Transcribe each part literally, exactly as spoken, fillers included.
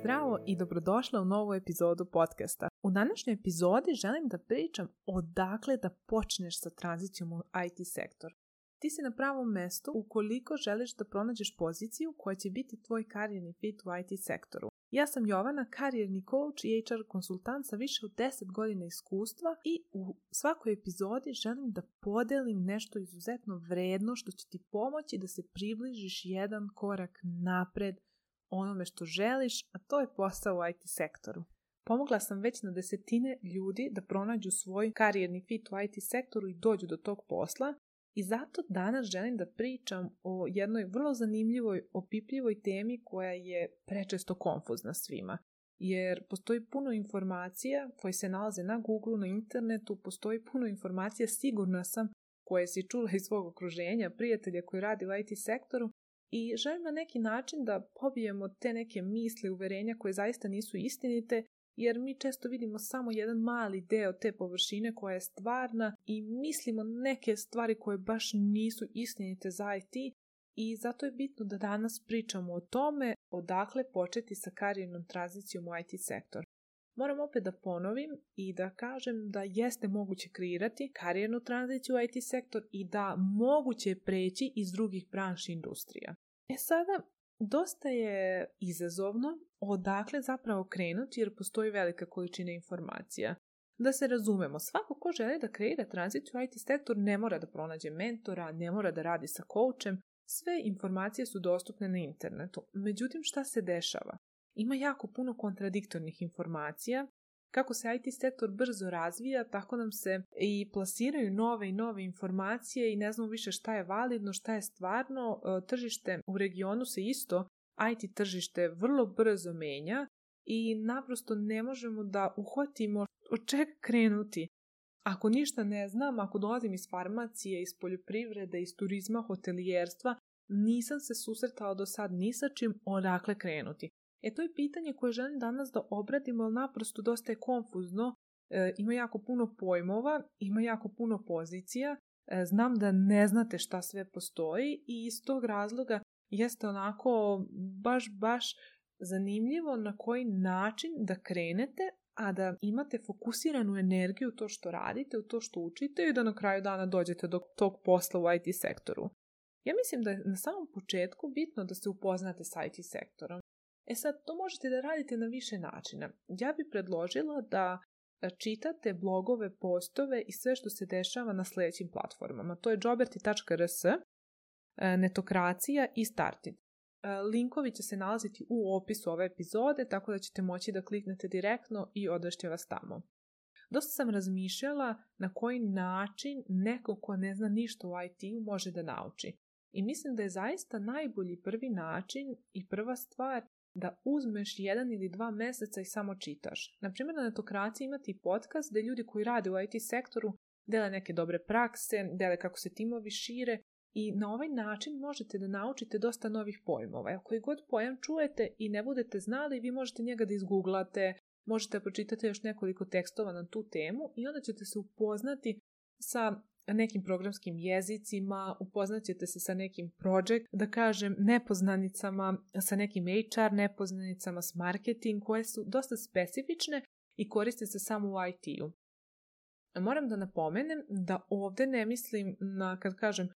Zdravo i dobrodošla u novu epizodu podcasta. U današnjoj epizodi želim da pričam odakle da počneš sa tranzicijom u I T sektor. Ti si na pravom mestu ukoliko želiš da pronađeš poziciju koja će biti tvoj karijerni fit u I T sektoru. Ja sam Jovana, karijerni coach i H R konsultant sa više od deset godina iskustva i u svakoj epizodi želim da podelim nešto izuzetno vredno što će ti pomoći da se približiš jedan korak napred onome što želiš, a to je posao u I T sektoru. Pomogla sam već na desetine ljudi da pronađu svoj karijerni fit u I T sektoru i dođu do tog posla i zato danas želim da pričam o jednoj vrlo zanimljivoj, opipljivoj temi koja je prečesto konfuzna svima. Jer postoji puno informacija koje se nalaze na Google, na internetu, postoji puno informacija, sigurna sam, koje si čula iz svog okruženja, prijatelja koji radi u I T sektoru, i želim na neki način da pobijemo te neke misli, uverenja koje zaista nisu istinite, jer mi često vidimo samo jedan mali deo te površine koja je stvarna i mislimo neke stvari koje baš nisu istinite za I T i zato je bitno da danas pričamo o tome odakle početi sa karijernom tranzicijom u I T sektor. Moram opet da ponovim i da kažem da jeste moguće kreirati karijernu tranziciju u I T sektor i da moguće je preći iz drugih branši industrija. E sada, dosta je izazovno odakle zapravo krenuti jer postoji velika količina informacija. Da se razumemo, svako ko želi da kreira tranziciju u I T sektor ne mora da pronađe mentora, ne mora da radi sa coachem, sve informacije su dostupne na internetu. Međutim, šta se dešava? Ima jako puno kontradiktornih informacija. Kako se I T sektor brzo razvija, tako nam se i plasiraju nove i nove informacije i ne znamo više šta je validno, šta je stvarno. Tržište u regionu se isto, I T tržište vrlo brzo menja i naprosto ne možemo da uhvatimo od čega krenuti. Ako ništa ne znam, ako dolazim iz farmacije, iz poljoprivrede, iz turizma, hotelijerstva, nisam se susretala do sad ni sa čim, odakle krenuti. E to je pitanje koje želim danas da obradimo, ali naprosto dosta je konfuzno, e, ima jako puno pojmova, ima jako puno pozicija, e, znam da ne znate šta sve postoji i iz tog razloga jeste onako baš, baš zanimljivo na koji način da krenete, a da imate fokusiranu energiju u to što radite, u to što učite i da na kraju dana dođete do tog posla u I T sektoru. Ja mislim da je na samom početku bitno da se upoznate sa I T sektorom. E sad, to možete da radite na više načina. Ja bih predložila da čitate blogove, postove i sve što se dešava na sljedećim platformama. To je joberti tačka r s, Netokracija i Startit. Linkovi će se nalaziti u opisu ove epizode, tako da ćete moći da kliknete direktno i odvešće vas tamo. Dosta sam razmišljala na koji način neko ko ne zna ništa u I T-u može da nauči. I mislim da je zaista najbolji prvi način i prva stvar da uzmeš jedan ili dva meseca i samo čitaš. Naprimjer, na Netokraciji imate i podcast gdje ljudi koji rade u I T sektoru dele neke dobre prakse, dele kako se timovi šire i na ovaj način možete da naučite dosta novih pojmova. Ako koji god pojam čujete i ne budete znali, vi možete njega da izgooglate, možete da pročitate još nekoliko tekstova na tu temu i onda ćete se upoznati sa nekim programskim jezicima, upoznat ćete se sa nekim project, da kažem, nepoznanicama, sa nekim H R nepoznanicama, s marketing, koje su dosta specifične i koriste se samo u I T-u. Moram da napomenem da ovdje ne mislim na, kad kažem,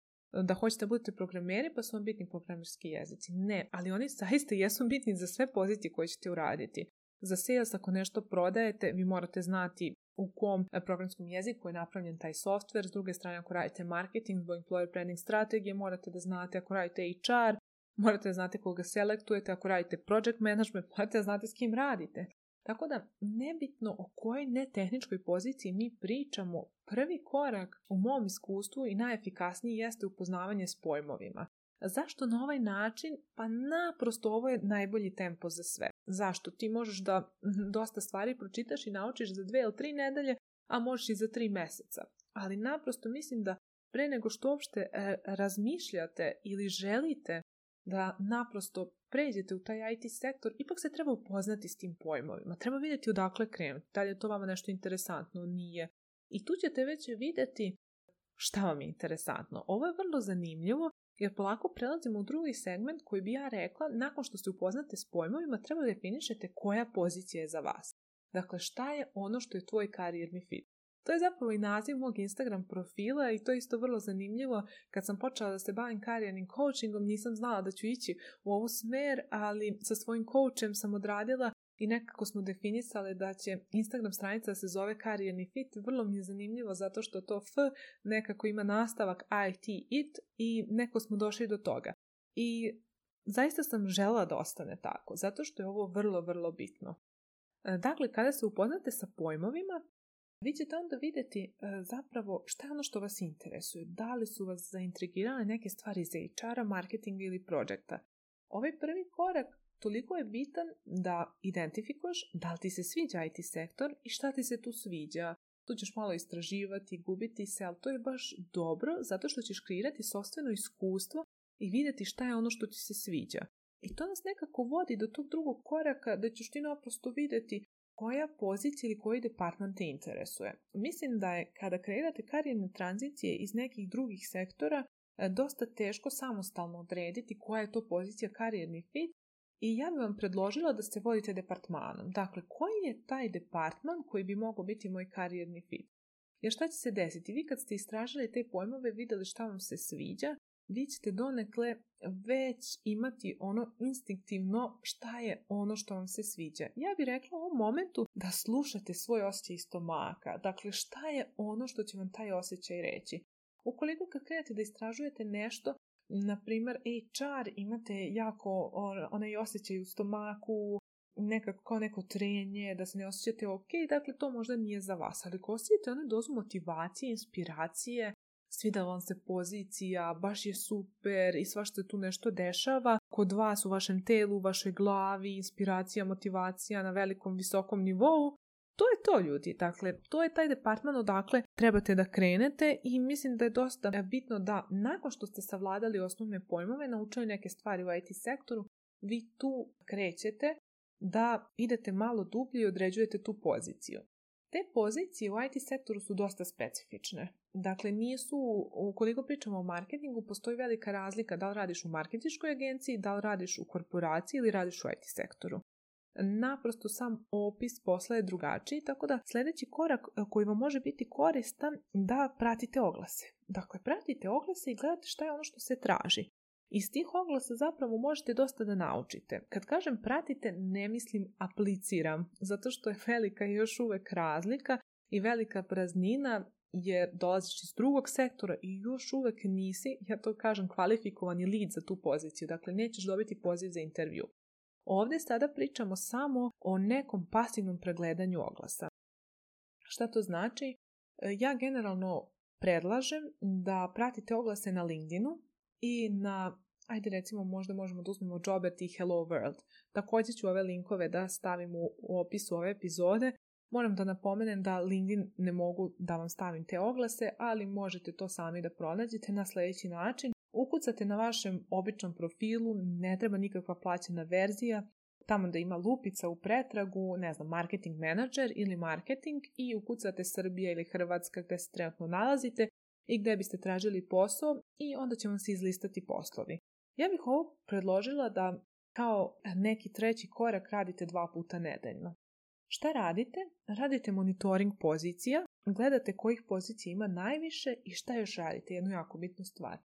da hoćete da budete programeri pa su vam bitni programerski jezici. Ne, ali oni zaista jesu bitni za sve pozicije koje ćete uraditi. Za sales, ako nešto prodajete, vi morate znati u kom programskom jeziku je napravljen taj software. S druge strane, ako radite marketing, zbog employer branding strategije, morate da znate, ako radite H R, morate da znate koga selektujete, ako radite project management, morate da znate s kim radite. Tako da, nebitno o kojoj netehničkoj poziciji mi pričamo, prvi korak u mom iskustvu i najefikasniji jeste upoznavanje s pojmovima. Zašto na ovaj način? Pa naprosto ovo je najbolji tempo za sve. Zašto? Ti možeš da dosta stvari pročitaš i naučiš za dve ili tri nedelje, a možeš i za tri meseca. Ali naprosto mislim da pre nego što uopšte e, razmišljate ili želite da naprosto pređete u taj I T sektor, ipak se treba upoznati s tim pojmovima. Treba vidjeti odakle krenuti. Da li je to vama nešto interesantno? Nije. I tu ćete već vidjeti šta vam je interesantno. Ovo je vrlo zanimljivo jer polako prelazimo u drugi segment koji bi ja rekla, nakon što se upoznate s pojmovima, treba da definišete koja pozicija je za vas. Dakle, šta je ono što je tvoj karijerni fit. To je zapravo i naziv mog Instagram profila i to je isto vrlo zanimljivo. Kad sam počela da se bavim karijernim coachingom, nisam znala da ću ići u ovu smer, ali sa svojim coachem sam odradila i nekako smo definisali da će Instagram stranica da se zove karijerni fit. Vrlo mi je zanimljivo zato što to F nekako ima nastavak I T it i neko smo došli do toga. I zaista sam želela da ostane tako, zato što je ovo vrlo, vrlo bitno. Dakle, kada se upoznate sa pojmovima, vi ćete onda vidjeti e, zapravo šta je ono što vas interesuje. Da li su vas zaintrigirale neke stvari iz H R-a, marketinga ili projekta. Ovaj prvi korak toliko je bitan da identifikuješ da li ti se sviđa I T sektor i šta ti se tu sviđa. Tu ćeš malo istraživati, gubiti se, ali to je baš dobro zato što ćeš kreirati sopstveno iskustvo i vidjeti šta je ono što ti se sviđa. I to nas nekako vodi do tog drugog koraka da ćeš ti naprosto vidjeti koja pozicija ili koji departman te interesuje. Mislim da je kada kreirate karijerne tranzicije iz nekih drugih sektora dosta teško samostalno odrediti koja je to pozicija karijerni fit i ja bih vam predložila da se vodite departmanom. Dakle, koji je taj departman koji bi mogao biti moj karijerni fit? Jer šta će se desiti? Vi kad ste istražili te pojmove, vidjeli šta vam se sviđa, vi ćete donekle već imati ono instinktivno šta je ono što vam se sviđa. Ja bih rekla u ovom momentu da slušate svoj osjećaj stomaka. Dakle, šta je ono što će vam taj osjećaj reći? Ukoliko kad krenete da istražujete nešto, na primjer H R, imate jako onaj osjećaj u stomaku, nekako kao neko trenje, da se ne osjećate ok, dakle to možda nije za vas. Ali ako osjećate onu dozu motivacije, inspiracije, svida vam se pozicija, baš je super i svašta tu nešto dešava kod vas u vašem telu, u vašoj glavi, inspiracija, motivacija na velikom, visokom nivou, to je to, ljudi. Dakle, to je taj departman odakle trebate da krenete i mislim da je dosta bitno da nakon što ste savladali osnovne pojmove, naučili neke stvari u I T sektoru, vi tu krećete da idete malo dublje i određujete tu poziciju. Te pozicije u I T sektoru su dosta specifične. Dakle, nisu, ukoliko pričamo o marketingu, postoji velika razlika da li radiš u marketinškoj agenciji, da li radiš u korporaciji ili radiš u I T sektoru. Naprosto sam opis posla je drugačiji, tako da sljedeći korak koji vam može biti koristan da pratite oglase. Dakle, pratite oglase i gledate šta je ono što se traži. Iz tih oglasa zapravo možete dosta da naučite. Kad kažem pratite, ne mislim apliciram, zato što je velika još uvek razlika i velika praznina jer dolaziš iz drugog sektora i još uvek nisi, ja to kažem, kvalifikovani lead za tu poziciju. Dakle, nećeš dobiti poziv za intervju. Ovdje sada pričamo samo o nekom pasivnom pregledanju oglasa. Šta to znači? Ja generalno predlažem da pratite oglase na LinkedInu i na, ajde recimo možda možemo da uzmemo Jobert i Hello World. Također ću ove linkove da stavim u opisu ove epizode. Moram da napomenem da LinkedIn ne mogu da vam stavim te oglase, ali možete to sami da pronađete na sljedeći način. Ukucate na vašem običnom profilu, ne treba nikakva plaćena verzija, tamo da ima lupica u pretragu, ne znam, marketing manager ili marketing i ukucate Srbija ili Hrvatska gdje se trenutno nalazite i gdje biste tražili posao i onda će vam se izlistati poslovi. Ja bih ovo predložila da kao neki treći korak radite dva puta nedeljno. Šta radite? Radite monitoring pozicija, gledate kojih pozicija ima najviše i šta još radite, jednu jako bitnu stvar.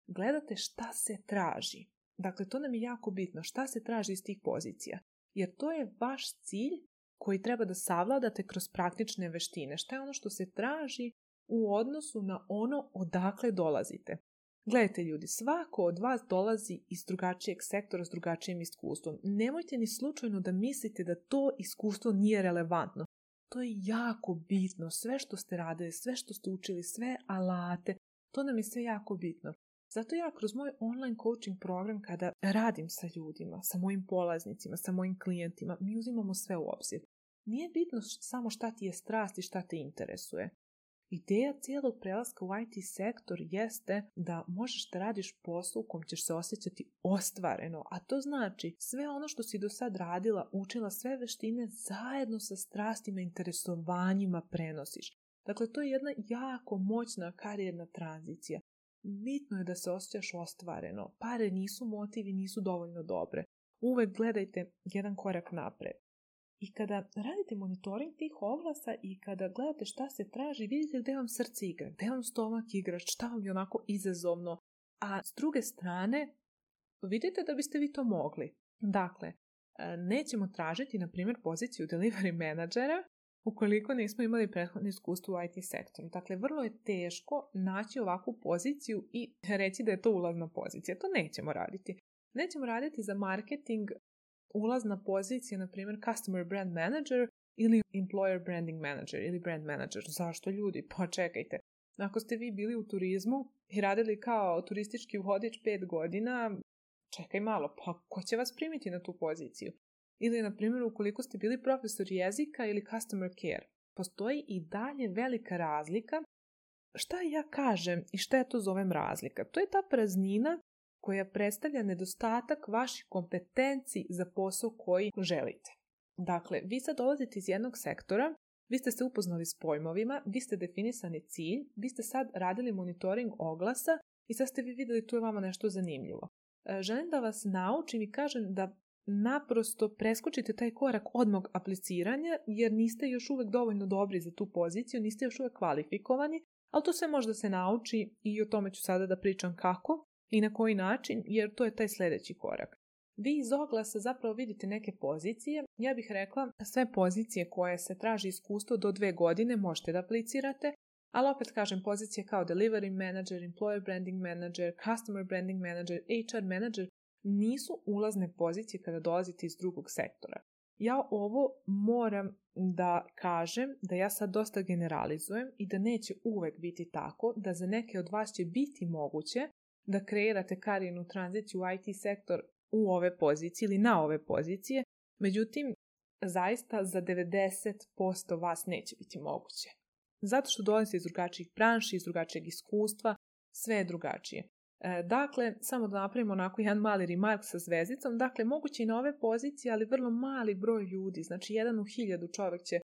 Gledate šta se traži. Dakle, to nam je jako bitno, šta se traži iz tih pozicija. Jer to je vaš cilj koji treba da savladate kroz praktične veštine. Šta je ono što se traži u odnosu na ono odakle dolazite. Gledajte ljudi, svako od vas dolazi iz drugačijeg sektora s drugačijim iskustvom. Nemojte ni slučajno da mislite da to iskustvo nije relevantno. To je jako bitno. Sve što ste radili, sve što ste učili, sve alate, to nam je sve jako bitno. Zato ja kroz moj online coaching program kada radim sa ljudima, sa mojim polaznicima, sa mojim klijentima, mi uzimamo sve u obzir. Nije bitno samo šta ti je strast i šta te interesuje. Ideja cijelog prelaska u I T sektor jeste da možeš da radiš posao u kom ćeš se osjećati ostvareno, a to znači sve ono što si do sad radila, učila, sve veštine zajedno sa strastima i interesovanjima prenosiš. Dakle, to je jedna jako moćna karijerna tranzicija. Bitno je da se osjećaš ostvareno. Pare nisu motiv i nisu dovoljno dobre. Uvek gledajte jedan korak napred. I kada radite monitoring tih oglasa i kada gledate šta se traži, vidite gde vam srce igra, gde vam stomak igra, šta vam je onako izazovno. A s druge strane, vidite da biste vi to mogli. Dakle, nećemo tražiti, na primjer, poziciju delivery menadžera ukoliko nismo imali prethodno iskustvo u I T sektoru. Dakle, vrlo je teško naći ovakvu poziciju i reći da je to ulazna pozicija. To nećemo raditi. Nećemo raditi za marketing ulazna pozicija, na primjer, customer brand manager ili employer branding manager ili brand manager. Zašto ljudi? Pa čekajte. Ako ste vi bili u turizmu i radili kao turistički vodič pet godina, čekaj malo, pa ko će vas primiti na tu poziciju? Ili, na primjer, ukoliko ste bili profesor jezika ili customer care. Postoji i dalje velika razlika. Šta ja kažem i šta ja to zovem razlika? To je ta praznina koja predstavlja nedostatak vaših kompetenciji za posao koji želite. Dakle, vi sad dolazite iz jednog sektora, vi ste se upoznali s pojmovima, vi ste definisani cilj, vi ste sad radili monitoring oglasa i sad ste vi vidjeli tu je vama nešto zanimljivo. Želim da vas naučim i kažem da naprosto preskočite taj korak odmah apliciranja jer niste još uvek dovoljno dobri za tu poziciju, niste još uvek kvalifikovani, ali to sve možda se nauči i o tome ću sada da pričam kako i na koji način, jer to je taj sljedeći korak. Vi iz oglasa zapravo vidite neke pozicije. Ja bih rekla sve pozicije koje se traži iskustvo do dve godine možete da aplicirate, ali opet kažem pozicije kao delivery manager, employer branding manager, customer branding manager, H R manager nisu ulazne pozicije kada dolazite iz drugog sektora. Ja ovo moram da kažem da ja sad dosta generalizujem i da neće uvek biti tako, da za neke od vas će biti moguće da kreirate karijernu tranziciju u I T sektor u ove pozicije ili na ove pozicije, međutim, zaista za devedeset posto vas neće biti moguće. Zato što dolazite iz drugačijih branši, iz drugačijeg iskustva, sve je drugačije. E, dakle, samo da napravimo onako jedan mali remark sa zvezdicom, dakle, moguće i na ove pozicije, ali vrlo mali broj ljudi, znači jedan u hiljadu čovjek će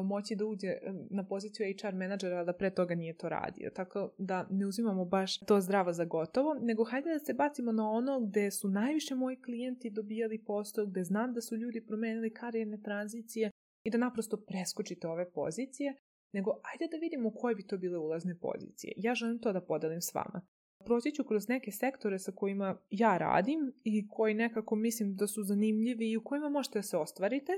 moći da uđe na poziciju H R menadžera, da pre toga nije to radio. Tako da ne uzimamo baš to zdravo za gotovo, nego hajde da se bacimo na ono gde su najviše moji klijenti dobijali posao, gde znam da su ljudi promenili karijerne tranzicije i da naprosto preskočite ove pozicije, nego ajde da vidimo koje bi to bile ulazne pozicije. Ja želim to da podelim s vama. Proći ću kroz neke sektore sa kojima ja radim i koji nekako mislim da su zanimljivi i u kojima možete da se ostvarite.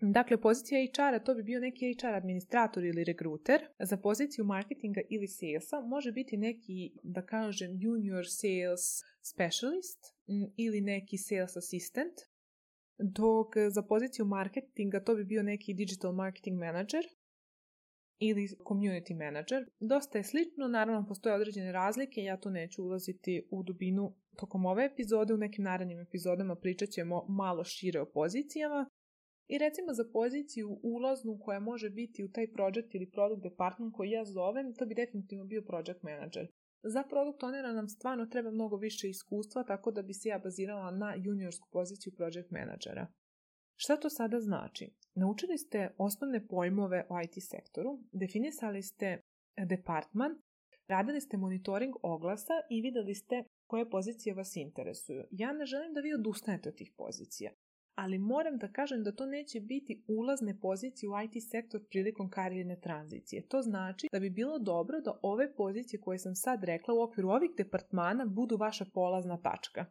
Dakle, pozicija H R-a to bi bio neki H R administrator ili rekruter. Za poziciju marketinga ili salesa može biti neki, da kažem, junior sales specialist ili neki sales assistant. Dok za poziciju marketinga to bi bio neki digital marketing manager ili community manager. Dosta je slično, naravno postoje određene razlike, ja tu neću ulaziti u dubinu tokom ove epizode, u nekim narednim epizodama pričat ćemo malo šire o pozicijama. I recimo za poziciju ulaznu koja može biti u taj project ili product department koji ja zovem, to bi definitivno bio project manager. Za product ownera nam stvarno treba mnogo više iskustva, tako da bi se ja bazirala na juniorsku poziciju project managera. Šta to sada znači? Naučili ste osnovne pojmove o I T sektoru, definisali ste departman, radili ste monitoring oglasa i vidjeli ste koje pozicije vas interesuju. Ja ne želim da vi odustanete od tih pozicija, ali moram da kažem da to neće biti ulazne pozicije u I T sektor prilikom karijerne tranzicije. To znači da bi bilo dobro da ove pozicije koje sam sad rekla u okviru ovih departmana budu vaša polazna tačka.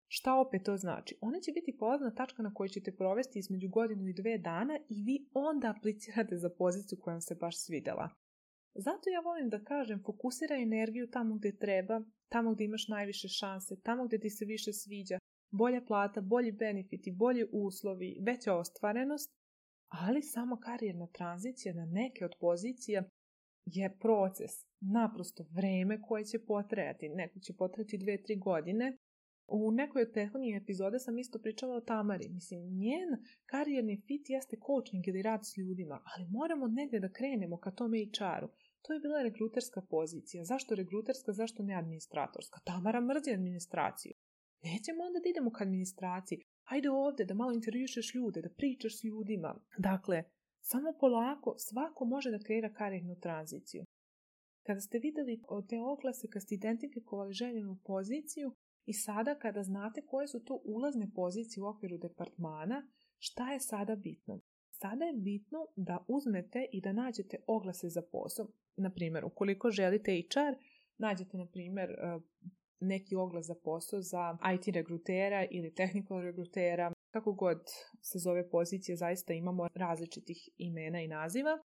Šta opet to znači? One će biti polazna tačka na kojoj ćete provesti između godinu i dve dana i vi onda aplicirate za poziciju koja vam se baš svidjela. Zato ja volim da kažem, fokusiraj energiju tamo gdje treba, tamo gdje imaš najviše šanse, tamo gdje ti se više sviđa, bolja plata, bolji benefiti, bolji uslovi, veća ostvarenost, ali samo karijerna tranzicija na neke od pozicija je proces, naprosto vreme koje će potrajati, neko će potrajati dve, tri godine. U nekoj od prethodnih epizode sam isto pričala o Tamari. Mislim, njen karijerni fit jeste coaching ili rad s ljudima, ali moramo negdje da krenemo ka tome H R-u. To je bila rekruterska pozicija. Zašto rekruterska, zašto ne administratorska? Tamara mrzi administraciju. Nećemo onda da idemo ka administraciji. Hajde ovdje da malo intervjušeš ljude, da pričaš s ljudima. Dakle, Samo polako, svako može da kreira karijernu tranziciju. Kada ste vidjeli te oglase, kada ste identifikovali željenu poziciju i sada kada znate koje su to ulazne pozicije u okviru departmana, šta je sada bitno? Sada je bitno da uzmete i da nađete oglase za posao. Na primjer, ukoliko želite H R, nađete, na primjer, neki oglas za posao za I T regrutera ili technical regrutera, kako god se zove pozicija, zaista imamo različitih imena i naziva.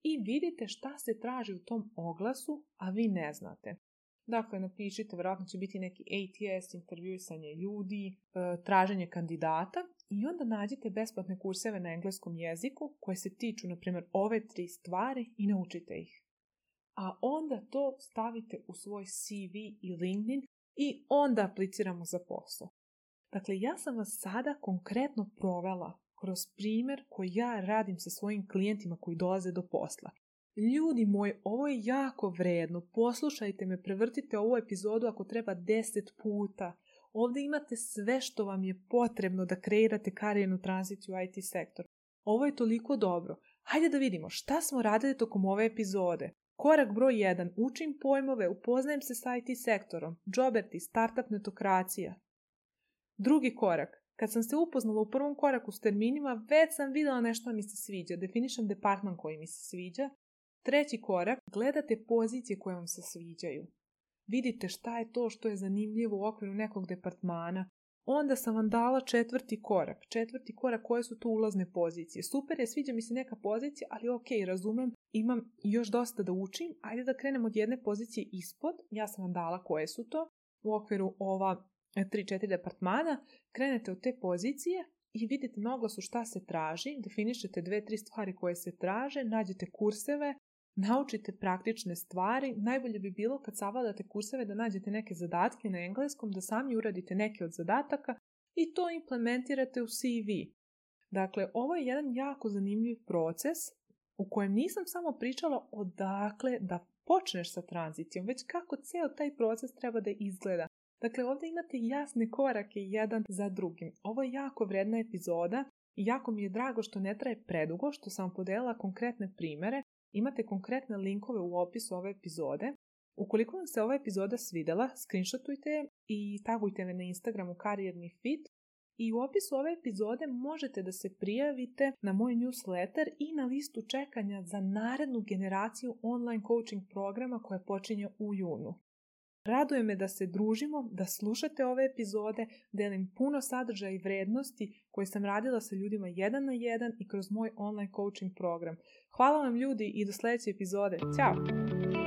I vidite šta se traži u tom oglasu, a vi ne znate. Dakle, napišite, vjerojatno će biti neki A T S, intervjuisanje ljudi, traženje kandidata i onda nađite besplatne kurseve na engleskom jeziku koje se tiču, na primjer, ove tri stvari i naučite ih. A onda to stavite u svoj C V i LinkedIn i onda apliciramo za posao. Dakle, ja sam vas sada konkretno provela kroz primjer koji ja radim sa svojim klijentima koji dolaze do posla. Ljudi moji, ovo je jako vredno. Poslušajte me, prevrtite ovu epizodu ako treba deset puta. Ovdje imate sve što vam je potrebno da kreirate karijernu tranziciju u I T sektor. Ovo je toliko dobro. Hajde da vidimo šta smo radili tokom ove epizode. Korak broj jedan. Učim pojmove, upoznajem se s I T sektorom. Joberti, startup netokracija. Drugi korak. Kad sam se upoznala u prvom koraku s terminima, već sam vidjela nešto mi se sviđa. Definišem departman koji mi se sviđa. Treći korak. Gledate pozicije koje vam se sviđaju. Vidite šta je to što je zanimljivo u okviru nekog departmana. Onda sam vam dala četvrti korak. Četvrti korak, koje su to ulazne pozicije. Super je, sviđa mi se neka pozicija, ali ok, razumem, imam još dosta da učim. Ajde da krenemo od jedne pozicije ispod. Ja sam vam dala koje su to. U okviru ova tri četiri departmana. Krenete od te pozicije i vidite na oglasu šta se traži. Definišete dve tri stvari koje se traže. Nađete kurseve. Naučite praktične stvari. Najbolje bi bilo kad savladate kurseve da nađete neke zadatke na engleskom, da sami uradite neke od zadataka i to implementirate u C V. Dakle, ovo je jedan jako zanimljiv proces u kojem nisam samo pričala odakle da počneš sa tranzicijom, već kako cijel taj proces treba da izgleda. Dakle, ovdje imate jasne korake jedan za drugim. Ovo je jako vredna epizoda i jako mi je drago što ne traje predugo, što sam podelila konkretne primjere. Imate konkretne linkove u opisu ove epizode. Ukoliko vam se ova epizoda svidjela, screenshotujte je i tagujte me na Instagramu Karijerni fit. I u opisu ove epizode možete da se prijavite na moj newsletter i na listu čekanja za narednu generaciju online coaching programa koja počinje u junu. Raduje me da se družimo, da slušate ove epizode, delim puno sadržaja i vrednosti koje sam radila sa ljudima jedan na jedan i kroz moj online coaching program. Hvala vam ljudi i do sljedeće epizode. Ćao!